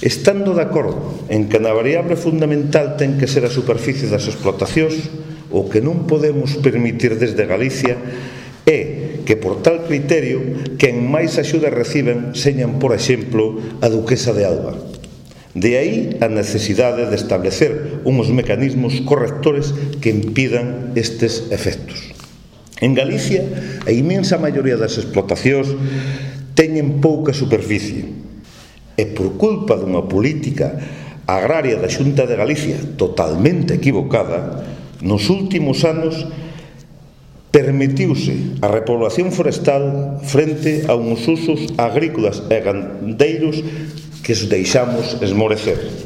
Estando de acordo en que na variable fundamental ten que ser a superficie das explotacións, o que non podemos permitir desde Galicia é que, por tal criterio, quen máis axuda reciben señan, por exemplo, a Duquesa de Alba. De aí a necesidade de establecer uns mecanismos correctores que impidan estes efectos. En Galicia, a inmensa maioría das explotacións teñen pouca superficie, e por culpa dunha política agraria da Xunta de Galicia totalmente equivocada, nos últimos anos permitiuse a repoblación forestal frente a uns usos agrícolas e gandeiros que os deixamos esmorecer.